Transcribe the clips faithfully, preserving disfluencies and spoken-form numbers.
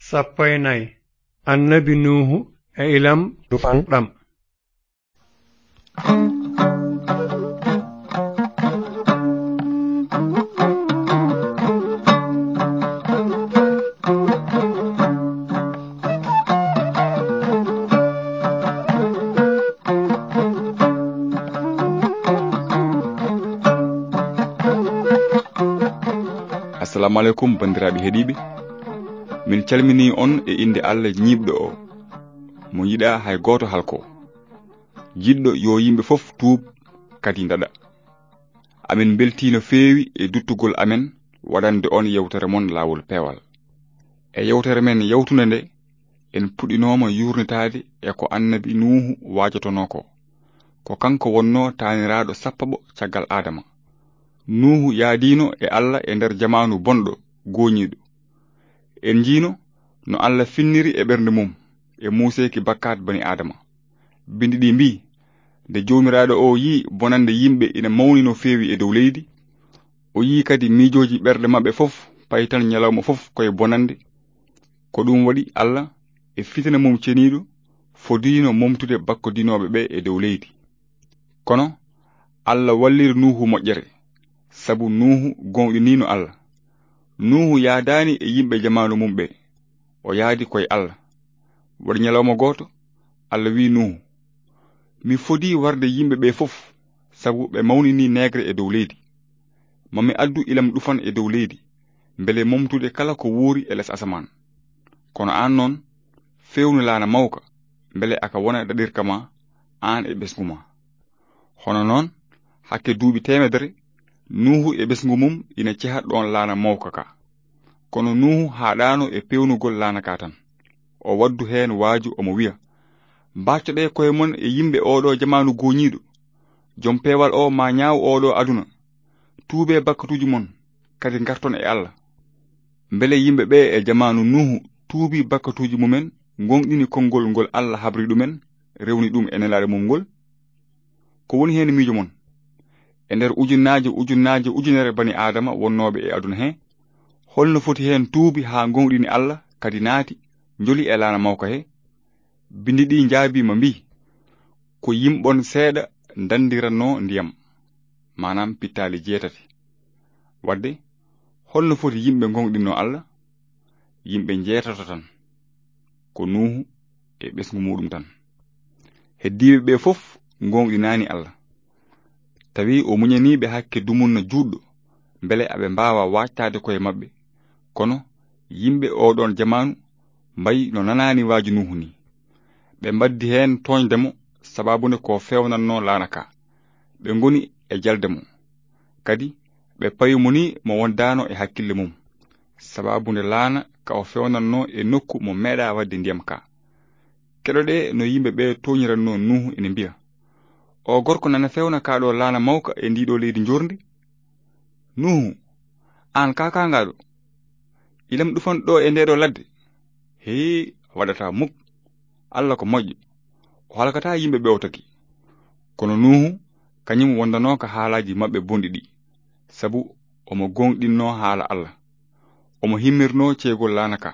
Sappo e nayi. Annabi Nuuhu e ilam ɗufan ɗam. Assalamu aleykum, banndiraaɓe heɗiiɓe. Min calminii on e innde Allah ñiiɓɗo o, mo yiɗaa hay gooto halko. Jiɗɗo yo yimɓe fof tuub, kadi ndaɗa. Amin mbeltii no feewi e duttugol amen waɗande on yewtere mon Laawol Peewal. E yewtere men yawtunde nde, en puɗɗinooma yuurnitaade e ko Annabi Nuuhu waajotonoo ko. Ko kanko wonnoo taaniraaɗo sappaɓo caggal Aadama. Nuuhu yaadiino e Allah e nder jamaanu bonɗo, gooñiiɗo. En njiino no Allah finniri e ɓernde mum e muuseeki bakkaat bani Aadama. Binndi ɗi mbii, nde Joomiraaɗo o yi'i bonannde yimɓe ina mawni no feewi e dow leydi, o yi'i kadi miijooji ɓerɗe maɓɓe fof payi tan ñalawma fof koye bonannde. Ko ɗum waɗi Allah e fitina mum ceniiɗo fodiino momtude bakkodinooɓe ɓe e dow leydi. Kono Allah walliri Nuuhu moƴƴere, sabu Nuuhu gooŋɗiniino Allah. Nuuhu yaadaani e yimɓe jamaanu mum ɓe, o yaadi koye Allah. Waɗi ñalawma gooto, Allah wi'i Nuuhu, "Mi fodii warde yimɓe ɓe fof, sabu ɓe mawninii neegre e dow leydi. Ma mi addu ilam ɗufan e dow leydi, mbele momtude kala ko wuuri e les asamaan. Kono aan noon, feewnu laana mawka, mbele aka wona daɗirka ma, aan e ɓesngu ma." Hono noon, hakke duuɓi teemedere, Nuuhu e ɓesngu mum ina ceha ɗoon laana mawka ka. Kono Nuuhu haaɗaano e peewnugol laana ka tan. O waddu heen waaju, omo wiya, "Mbaaccoɗee koye mon e yimɓe ooɗoo jamaanu gooñiiɗo. Jom peewal o maa ñaaw ooɗoo aduna. Tuubee bakkatuuji mon, kadi ngarton e Allah." Mbele yimɓe ɓe e jamaanu Nuuhu tuubii bakkatuuji mumen, ngoongɗini konngol ngol Allah habri ɗumen, rewni ɗum e nelaaɗo mum ngol? Ko woni heen miijo mon? E nder ujunnaaje, ujunnaaje, ujunere bani Aadama wonnooɓe e aduna he, holno foti heen tuubi haa ngoongɗini Allah, kadi naati, njoli e laana mawka he? Binndi ɗi njaabii ma mbii, "Ko yimɓon seeɗa ndandirannoo ndiyam, maanaam pittaali jeetati." Wadde, holno foti yimɓe ngoongɗinnoo Allah? Yimɓe njeetato tan, ko Nuuhu e ɓesngu muuɗum tan. Heddiiɓe ɓe fof ngoongɗinaani Allah. Tawi o muñanii ɓe hakke dumunna juutɗo, mbele aɓe mbaawa waajtaade koye maɓɓe. Kono yimɓe ooɗoon jamaanu mbayi no nanaani waaju Nuuhu nii. Ɓe mbaddi heen tooñde mo, sababu nde ko feewnannoo laana ka. Ɓe ngoni e jalde mo. Kadi ɓe pawi mo nii mo wondaano e hakkille mum, sababu nde laana ka o feewnannoo e nokku mo meeɗaa waɗde ndiyam ka. Keɗoɗee no yimɓe ɓe tooñirannoo Nuuhu ene mbiya, "O gorko nana feewna kaa ɗo laana mawka e ndii ɗo leydi njoorndi? Nuuhu, aan kaakaangaaɗo, ilam ɗufan ɗo e ndee ɗo ladde? Hee, waɗataa muk. Allah ko moƴƴo. O halkataa yimɓe ɓe o tagi." Kono Nuuhu, kañum wondanooka haalaaji maɓɓe bonɗi ɗi, sabu omo gooŋɗinnoo haala Allah. Omo himmirnoo ceegol laana ka.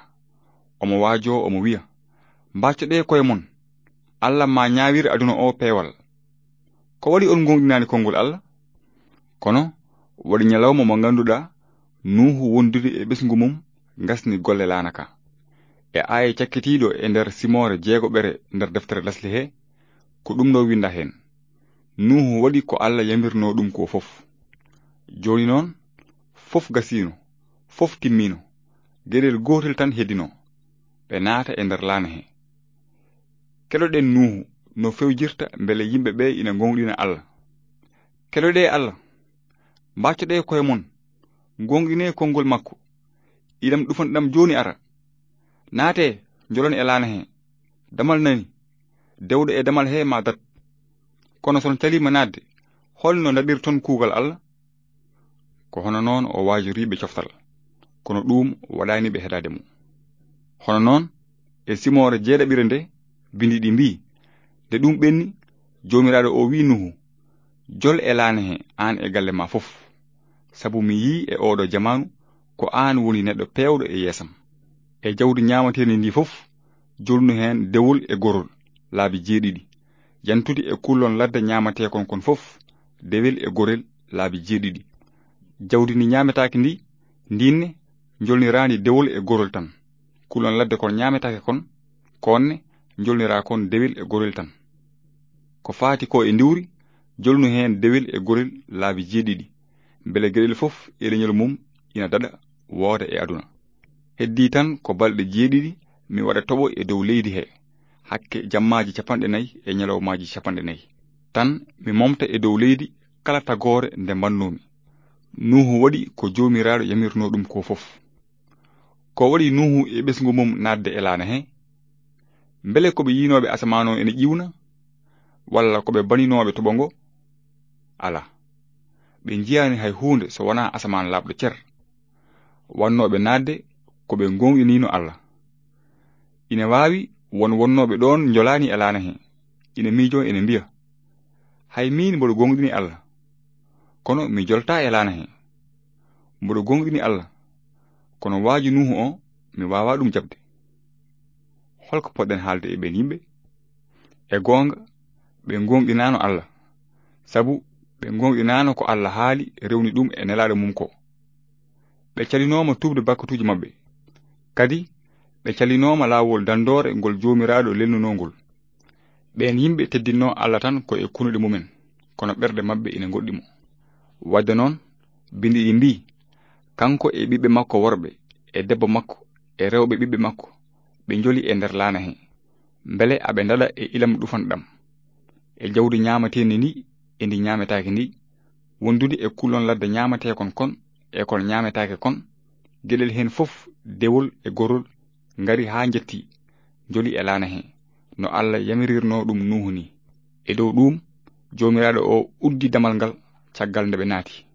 Omo waajoo, omo wiya, "Mbaaccoɗee koye mon. Allah maa ñaawir aduna o peewal. Ko waɗi on gooŋɗinaani konngol Allah?" Kono waɗi ñalawma mo ngannduɗaa, Nuuhu wondude e ɓesngu mum, ngasni golle laana ka. E aaya cakkitiiɗo e nder simoore jeegoɓere nder deftere Lesli he, ko ɗum ɗo winnda heen, "Nuuhu waɗi ko Allah yamirnoo ɗum ko fof." Jooni noon, fof gasiino, fof timmiino, geɗel gootel tan heddinoo, ɓe naata e nder laana he. Keɗoɗen Nuuhu no fewjirta mbele yimɓe ɓe ina ngoongɗina Allah. Keɗoɗee Allah, mbaaccoɗee koye mon, ngoongɗinee konngol makko. Ilam ɗufan ɗam jooni ara. Naatee, njolon e laana he. Damal nani, dewɗo e damal he ma dat. Kono son caliima naatde, holno ndaɗirton kuugal Allah? Ko hono noon o waajoriiɓe coftal, kono ɗuum waɗaani ɓe heɗaade mo. Hono noon, e simoore jeeɗaɓire nde, bindi ɗi mbii, nde ɗum ɓenni, Joomiraaɗo o wii Nuuhu, "Jol e laana he, aan e galle ma fof, sabu mi yii e ooɗo jamaanu ko aan woni neɗɗo peewɗo e yeesam." E jawdi ñaamateendi ndi fof, jolnu heen dewol e gorol laabi jeeɗiɗi. Yantude e kullon ladde ñaamateekon kon fof, dewel e gorel laabi jeeɗiɗi. Jawdi ndi ñaametaake ndi, ndinne, njolniraandi dewol e gorol tan. Kullon ladde kon ñaametaake kon, konne, njolniraa kon dewel e gorel tan. Ko faati ko e ndiwri, jolnu heen dewel e gorel laabi jeeɗiɗi, mbele geɗel fof e leñol mum ina daɗa wooda e aduna. Heddii tan ko balɗe jeeɗiɗi mi waɗa toɓo e dow leydi he, hakke jammaaji capanɗe nayi e ñalawmaaji capanɗe nayi. Tan mi momta e dow leydi kala tagoore nde mbannoomi. Nuuhu waɗi ko Joomiraaɗo yamirnoo ɗum ko fof. Ko waɗi Nuuhu e ɓesngu mum naatde e laana he? Mbele ko ɓe yiinooɓe asamaan o ene ƴiwna? Walla ko ɓe baninooɓe toɓo ngo? Alaa. Ɓe njiyaani hay huunde so wonaa asamaan laaɓɗo cer. Wannooɓe naatde ko ɓe gooŋɗiniino Allah. Ina waawi won wonnooɓe ɗoon njolaani e laana he, ina miijoo ene mbiya, "Hay miin mboɗo gooŋɗini Allah, kono mi joltaa e laana he. Mboɗo gooŋɗini Allah, kono waaju Nuuhu o, mi waawaa ɗum jaɓde." Holko poɗɗen haalde e ɓeen yimɓe? E goonga, ɓe gooŋɗinaano Allah, sabu ɓe gooŋɗinaano ko Allah haali, rewni ɗum e Nelaaɗo mum ko. Ɓe calinooma tuubde bakkatuuji maɓɓe. Kadi, ɓe calinooma laawol danndoore ngol Joomiraaɗo lelnunoo ngol. Ɓeen yimɓe teddinnoo Allah tan ko e kunuɗe mumen, kono ɓerɗe maɓɓe ina ngoɗɗi mo. Waɗde noon, binndi ɗi mbii, "Kanko e ɓiɓɓe makko worɓe, e debbo makko, e rewɓe ɓiɓɓe makko, ɓe njoli e nder laana he. Mbele aɓe ndaɗa e ilam ɗufanɗam, e jawdi ñaamateendi ndi e ndi ñaametaake ndi, wondude e kullon ladde ñaamateekon kon e kon ñaametaake kon, geɗel heen fof dewol e gorol ngari haa njetti, njoli e laana he, no Allah yamirirnoo ɗum Nuuhu ni." E dow ɗuum, Joomiraaɗo o uddi damal ngal caggal nde ɓe naati.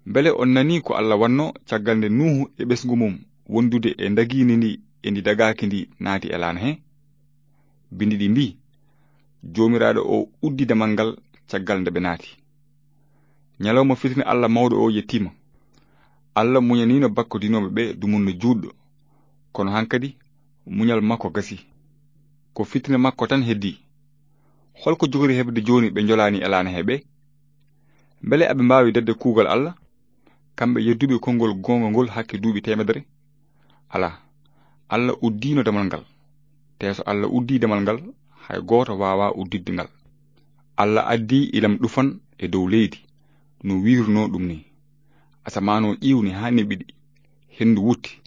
Mbele on nanii ko Allah wannoo caggal nde Nuuhu e ɓesngu mum wondude e ndagiini ndi e ndi dagaaki ndi naati e laana he? Binndi ɗi mbii, "Joomiraaɗo o uddi damal ngal caggal nde ɓe naati." Ñalawma fitina Allah mawɗo o yettiima. Allah muñaniino bakkodinooɓe ɓe dumunna juutɗo, kono hankadi muñal makko gasi. Ko fitina makko tan heddii. Holko jogori heɓde jooni ɓe njolaani e laana he ɓe? Mbele aɓe mbaawi daɗde kuugal Allah? Kamɓe yedduɓe konngol goonga ngol hakke duuɓi teemedere? Alaa. Allah uddiino damal ngal. Te so Allah uddii damal ngal, hay gooto waawaa udditde ngal. Allah addii ilam ɗufan e dow leydi, no wiirnoo ɗum ni. Asamaan o ƴiwni haa neɓiɗi, henndu wutti,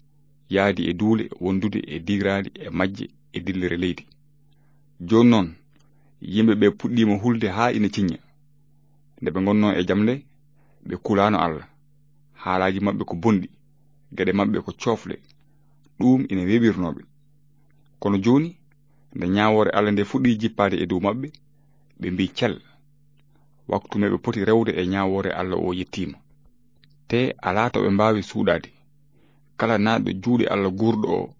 yaadi e duule wondude e digraali e majje e dillere leydi. Jooni noon, yimɓe ɓe puɗɗiima hulde haa ina ciñña. Nde ɓe ngonnoo e jam nde, ɓe kulaano Allah. Haalaaji maɓɓe ko bonɗi, geɗe maɓɓe ko coofle. Ɗuum ina weeɓirnoo ɓe. Kono jooni, nde ñaawoore Allah nde fuɗɗii jippaade e dow maɓɓe, ɓe mbii cel. Waktu meɓe poti rewde e ñaawoore Allah o yettiima. Te alaa to ɓe mbaawi suuɗaade. Kala naatɗo juuɗe Allah guurɗo o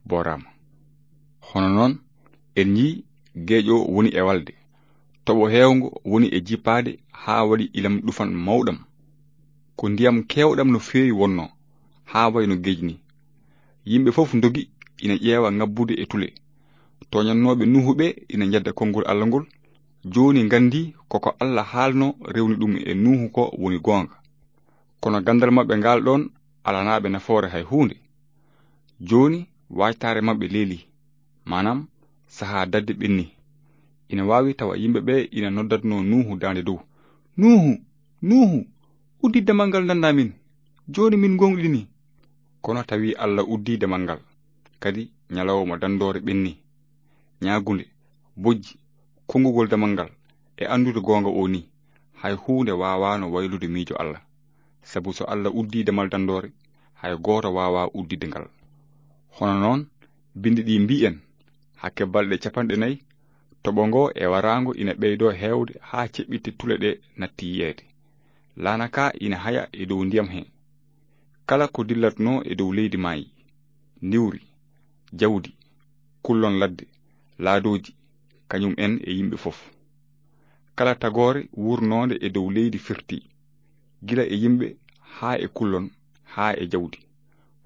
booraama. Hono noon, en njii geeƴo woni e walde. Toɓo heewngo woni e jippaade haa waɗi ilam ɗufan mawɗam. Ko ndiyam keewɗam no feewi wonnoo, haa wayno geej ni. Yimɓe fof ndogi ina ƴeewa ngabbude e tule. Tooñannooɓe Nuuhu ɓe ina njedda konngol Allah ngol. Jooni nganndi koko Allah haalno rewni ɗum e Nuuhu ko woni goonga. Kono ganndal maɓɓe ngal ɗoon alanaaɓe nafoore hay huunde. Jooni waajtaare maɓɓe leeli, maanaam sahaa daɗde ɓenni. Ina waawi tawa yimɓe ɓe ina noddatnoo Nuuhu daande dow, "Nuuhu, Nuuhu, uddi damal ngal ndandaa min, jooni min ngoongɗini." Kono tawi Allah uddii damal ngal, kadi ñalawma danndoore ɓenni. Ñaagunde, bojji, konngugol damal ngal, e anndude goonga o ni, hay huunde waawaano waylude miijo Allah. Sabu so Allah uddii damal danndoore, hay gooto waawaa udditde ngal. Hono noon, binndi ɗi mbii en, hakke balɗe capanɗe nayi, toɓo ngo e waraango ina ɓeydoo heewde haa ceɓɓitte tule ɗe natti yiyeede. Laana ka ina haya e dow ndiyam he. Kala ko dillatnoo e dow leydi maayi, ndiwri, jawdi, kullon ladde, laadooji, kañum en e yimɓe fof. Kala tagoore wuurnoonde e dow leydi firti, gila e yimɓe haa e kullon, haa e jawdi.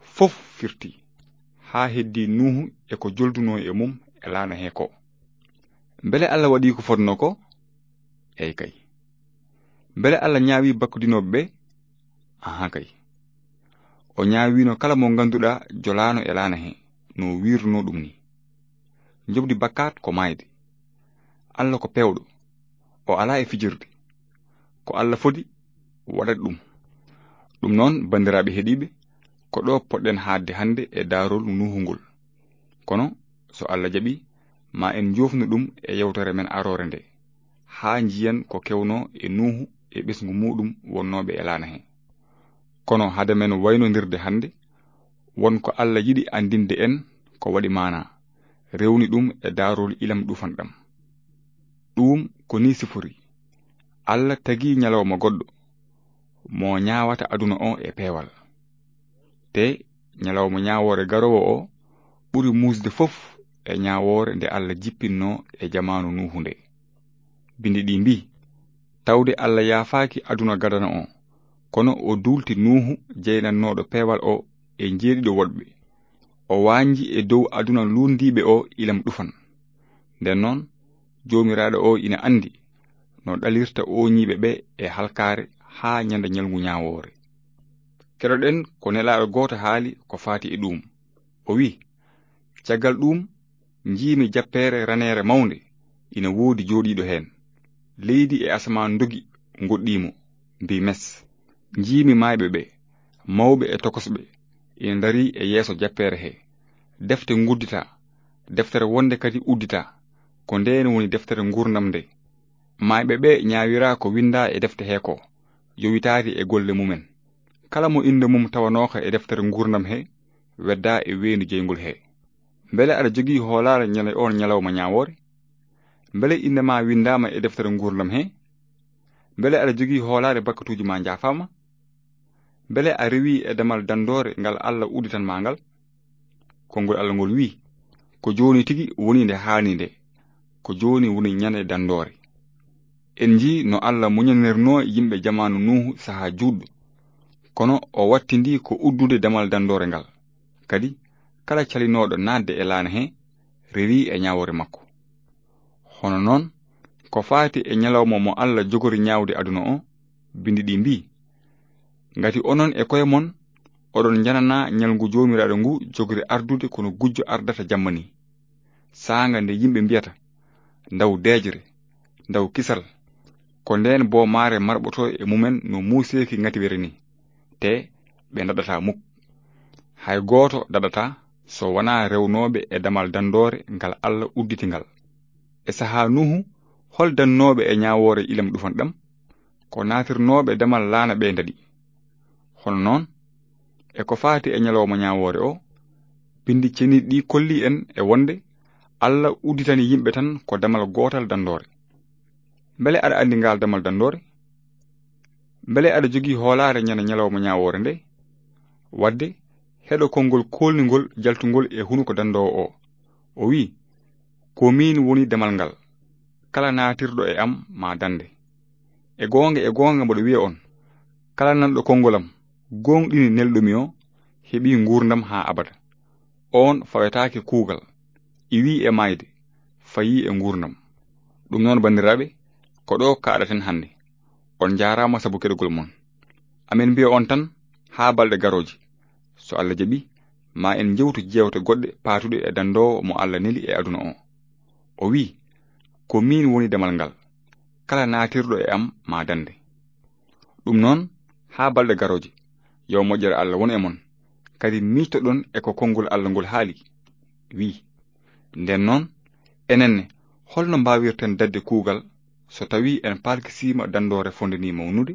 Fof firti. haa heddii Nuuhu e ko joldunoo e mum e laana hee koo. Mbele Alla waɗii ko fotnoo koo? Eey kay. Mbele Alla ñaawii bakkudinooɓe ɓee? Ahan kay. O ñaawiino kala mo ngannduɗaa jolaano e laana hee, no wiirunoo ɗum nii. Njoɓdi bakkaat ko maayde. Alla ko peewɗo, o alaa e fijirde. Ko Alla fodi, waɗat ɗum. Ɗum noon, banndiraaɓe heɗiiɓe, ko ɗo poɗɗen haaɗde hannde e daarol Nuuhu ngol. Kono, so Alla jaɓii, ma en njoofnu ɗum e yewtere men aroore nde, haa njiyen ko kewnoo e Nuuhu e ɓesngu muuɗum wonnooɓe e laana hee. Kono hade men waynondirde hannde, won ko Alla yiɗi anndinde en ko waɗi maanaa, rewni ɗum e daarol ilam ɗufanɗam. Ɗum ko nii sifori. Alla tagii ñalawma goɗɗo, mo ñaawata aduna o e peewal. Te ñalawma ñaawoore garoowo o ɓuri muusde fof e ñaawoore nde Alla jippinnoo e jamaanu Nuuhu nde. Binndi ɗi mbii, tawde Alla yaafaaki aduna gadano o, kono o duulti Nuuhu jeynannooɗo peewal o e njeeɗiɗo woɗɓe. O waanji e dow aduna luunndiiɓe o ilam ɗufan. Nden noon, Joomiraaɗo o ina anndi no ɗalirta ooñiiɓe ɓe e halkaare haa ñande ñalngu ñaawoore. Keɗoɗen ko Nelaaɗo gooto haali ko faati e ɗuum. O wi'i, caggal ɗuum, njiimi jappeere raneere mawnde ina woodi jooɗiiɗo heen. Leydi e asamaan ndogi, ngoɗɗii mo, mbii mes. Njiimi maayɓe ɓe, mawɓe e tokosɓe, ina ndarii e yeeso jappeere hee. Defte ngudditaa, deftere wonnde kadi udditaa. Ko ndeen woni deftere nguurndam nde. Maayɓe ɓe ñaawiraa ko winndaa e defte hee koo, yowitaade e golle mumen. Kala mo innde mum tawanooka e deftere nguurndam hee, weddaa e weendu jeyngol hee. Mbele aɗa jogii hoolaare ñande oon ñalawma ñaawoore? Mbele innde maa winndaama e deftere nguurndam hee? Mbele aɗa jogii hoolaare bakkatuuji maa njaafaama? Mbele a rewii e damal danndoore ngal Alla udditan maa ngal? Konngol Alla ngol wi'i, ko jooni tigi woni nde haani nde, ko jooni woni ñande danndoore. En njii no Alla muñanirnoo yimɓe jamaanu Nuuhu sahaa juutɗo, kono o wattindii ko uddude damal danndoore ngal. Kadi, kala calinooɗo naatde e laana hee, rewii e ñaawoore makko. Hono noon, ko faati e ñalawma mo Alla jogori ñaawde aduna o, binndi ɗi mbii, ngati onon e koye mon, oɗon njananaa ñalngu Joomiraaɗo ngu jogori ardude kono gujjo ardata jamma nii. Saanga nde yimɓe mbiyata, ndaw deeƴre, ndaw kisal, ko ndeen boomaare marɓotoo e mumen no muuseeki ngatiwere nii, te ɓe ndaɗataa muk. Hay gooto daɗataa so wonaa rewnooɓe e damal danndoore ngal Alla udditi ngal. E sahaa Nuuhu, hol dannooɓe e ñaawoore ilam ɗufan ɗam? Ko naatirnooɓe damal laana ɓe ndaɗi. Hono noon, e ko faati e ñalawma ñaawoore o, binndi ceniiɗi ɗi kolli en e wonde Alla udditani yimɓe tan ko damal gootal danndoore. Mbele aɗa anndi ngaal damal danndoore? Mbele aɗa jogii hoolaare ñande ñalawma ñaawoore nde? Waɗde, heɗo konngol koolningol jaltungol e hunuko danndoowo o. O wi'i, ko miin woni damal ngal. Kala naatirɗo e am ma dannde. E goonga, e goonga mboɗo wiya on, kala nanɗo konngol am, gooŋɗini nelɗo mi o, heɓii nguurndam haa abada. Oon fawetaake kuugal, iwii e maayde, fayii e nguurndam. Ɗum noon, banndiraaɓe, ko ɗo kaaɗaten hannde. On njaaraama sabu keɗogol mon. Amin mbiya on tan, haa balɗe garooje. So Alla jaɓi, ma en njewtu jeewte goɗɗe paatuɗe e danndoowo mo Alla neli e aduna o. O wi'i, ko miin woni damal ngal. Kala naatirɗo e am ma dannde. Ɗum noon, haa balɗe garooje, yo moƴƴere Alla won e mon. Kadi miijtoɗon e ko konngol Alla ngol haali, wi'i, nden noon, enen ne, holno mbaawirten daɗde kuugal so tawii en palkisiima danndoore fonnde nii mawnude?